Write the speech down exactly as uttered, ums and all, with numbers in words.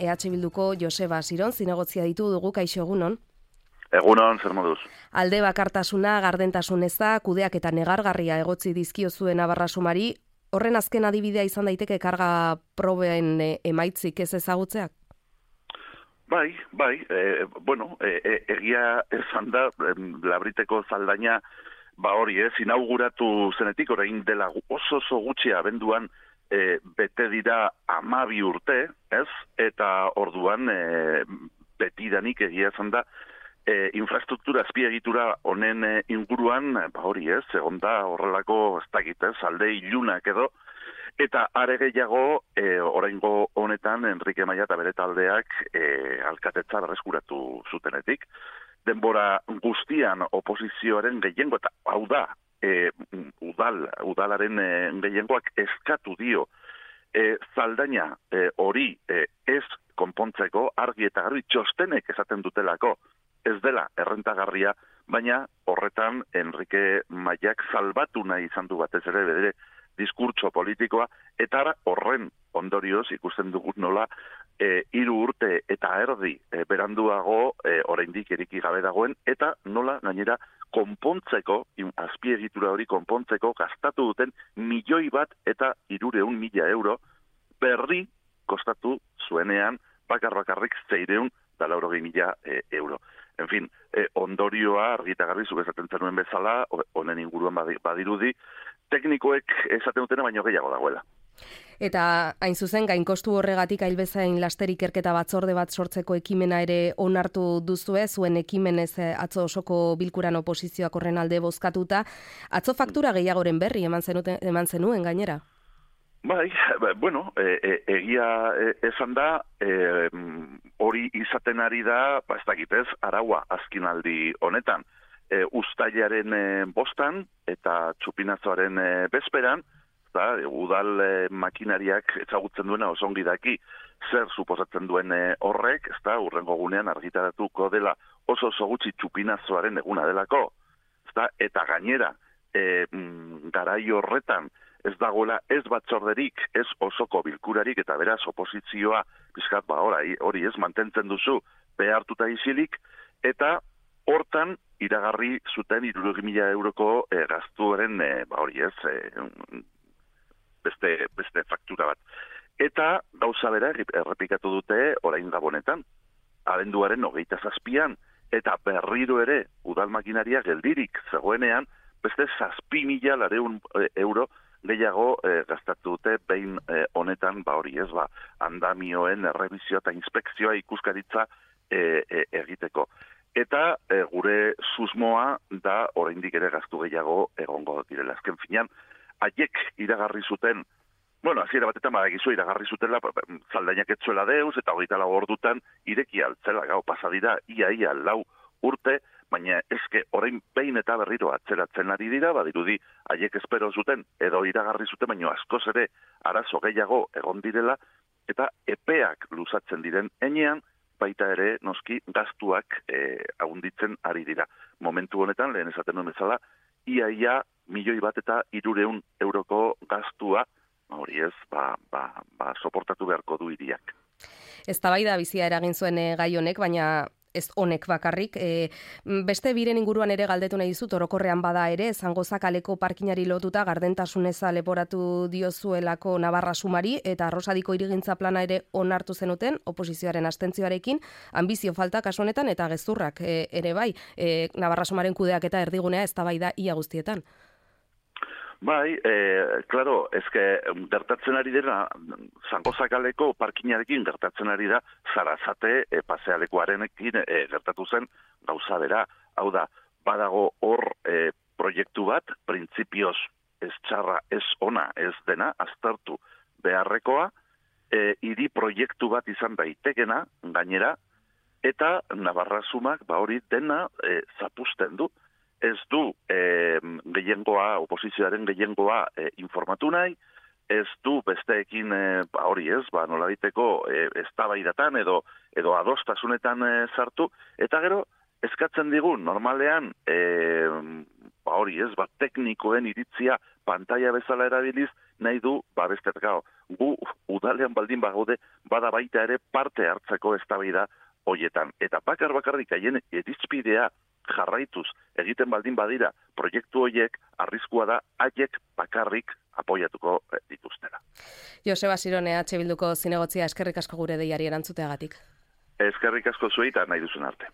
E H Bilduko Joseba Siron, zinegotzia ditu dugu, kaixo egunon. Egunon, zer moduz. Alde bakartasuna, gardentasun eza, kudeak eta negargarria egotzi dizkiozuen Navarra sumari, horren azken adibidea izan daiteke karga proben emaitzik ez ezagutzeak? Bai, bai, e, bueno, e, e, egia esan da, Labriteko zaldaina, ba hori ez, inauguratu zenetik, orain dela oso oso gutxi abenduan e, bete dira hamabi urte, ez? Eta orduan e, betidanik egia esan da, e, infrastruktura azpiegitura honen e, inguruan, ba hori ez, egon da horrelako ez dakit ez, alde ilunak edo, eta are gehiago, e, oraingo honetan, Enrique Maia eta bere taldeak e, alkatetza berreskuratu zutenetik. Denbora guztian oposizioaren gehiengo, eta hau da, e, udal, udalaren e, gehiengoak eskatu dio, e, zaldaina e, hori e, ez konpontzeko, argi eta garbi txostenek esaten dutelako, ez dela errentagarria, baina horretan Enrique Maiak salbatu nahi izan du batez ere bedere diskurtso politikoa, eta horren ondorioz ikusten dugut nola e, hiru urte eta erdi e, beranduago e, oraindik eriki gabe dagoen, eta nola gainera konpontzeko, azpiegitura hori konpontzeko gastatu duten milioi bat eta hirureun mila euro berri kostatu zuenean bakar-bakarrik zeireun da laurogei mila e, euro. En fin, e, ondorioa argita garbi zuk esaten zenuen bezala, honen inguruan badirudi, teknikoek esaten dutena baino gehiago dagoela. Eta hain zuzen, gainkostu horregatik ailbezain laster ikerketa batzorde bat sortzeko ekimena ere onartu duzue, zuen ekimenez atzo osoko bilkuran oposizioak horren alde bozkatuta. Atzo faktura gehiagoren berri eman zenuten, eman zenuen gainera? Bai, bueno, e, e, egia e, esan da, e, hori izaten ari da, ba ez dakit ez, araua azkinaldi honetan. E, Uztailaren e, bostan eta txupinazoaren e, bezperan, da, udal e, makinariak ezagutzen duena oso ongi daki zer suposatzen duen e, horrek, ez da, urrengo gunean argitaratuko dela oso oso gutxi txupinazoaren eguna delako, ez da, eta gainera, e, garai horretan, ez dagoela ez batzorderik, ez osoko bilkurarik, eta beraz oposizioa, pizkat ba hori, hori ez mantentzen duzu behartuta isilik, eta hortan iragarri zuten hirurogei mila euroko e, gastuaren, e, ba hori ez, e, beste, beste faktura bat. Eta gauza bera errepikatu dute orain gabonetan, abenduaren hogeita zazpian, eta berriro ere udal makinaria geldirik zegoenean, beste zazpi mila lareun euro gehiago e, gastatu dute behin e, honetan, ba hori ez, ba, andamioen errebizioa eta inspekzioa ikuskaritza e, e, egiteko. Eta e, gure susmoa da oraindik ere gastu gehiago egongo direla. Azken finean, haiek iragarri zuten, bueno, hasiera batetan badakizu iragarri zutela, zaldainak etzuela deuz, eta hogeita lau ordutan ireki altzela, gau, pasadira, ia, ia, lau urte, baina eske orain behin eta berriro atzeratzen ari dira, badirudi haiek espero zuten, edo iragarri zuten, baina askoz ere arazo gehiago egon direla, eta epeak luzatzen diren enean, baita ere noski gastuak e, ahunditzen ari dira. Momentu honetan, lehen esaten nuen bezala, ia ia milioi bat eta hirureun euroko gastua, hori ez, ba, ba, ba, soportatu beharko du hiriak. Eztabaida bizia eragin zuen e, gai honek, baina ez honek bakarrik. E, beste biren inguruan ere galdetu nahi dizut, orokorrean bada ere, Zangoza kaleko parkinari lotuta gardentasuneza leporatu diozuelako Navarra sumari, eta Arrosadiko hirigintza plana ere onartu zenuten, oposizioaren abstentzioarekin, ambizio falta kasu honetan eta gezurrak e, ere bai, e, Navarra sumaren kudeak eta erdigunea eztabaida ia guztietan. Bai, eh, claro, eske gertatzen ari dira, Zangoza kaleko parkinarekin gertatzen ari da, Zarazate e, pasealekuarenekin e, gertatu zen gauza bera. Hau da, badago hor e, proiektu bat, printzipioz ez txarra, ez ona, ez dena, aztertu beharrekoa, e, hiri proiektu bat izan daitekena, gainera, eta Navarra sumak ba hori dena e, zapusten du. Ez du e, gehiengoa, oposizioaren gehiengoa e, informatu nahi, ez du besteekin e, ba, hori ez, ba, nolabiteko e, eztabaidatan edo edo adostasunetan e, sartu, eta gero eskatzen digun normalean e, ba hori ez, ba teknikoen iritzia pantalla bezala erabiliz, nahi du, ba bestet gau, gu udalean baldin bagaude, bada baita ere parte hartzeko eztabaida hoietan. Eta bakar bakarrik haien irizpidea jarraituz egiten baldin badira proiektu hoiek, arriskua da haiek bakarrik apoiatuko dituztela. Joseba Sirone, H Bilduko zinegotzia, eskerrik asko gure deiari erantzuteagatik. Eskerrik asko zuei eta nahi duzun arte.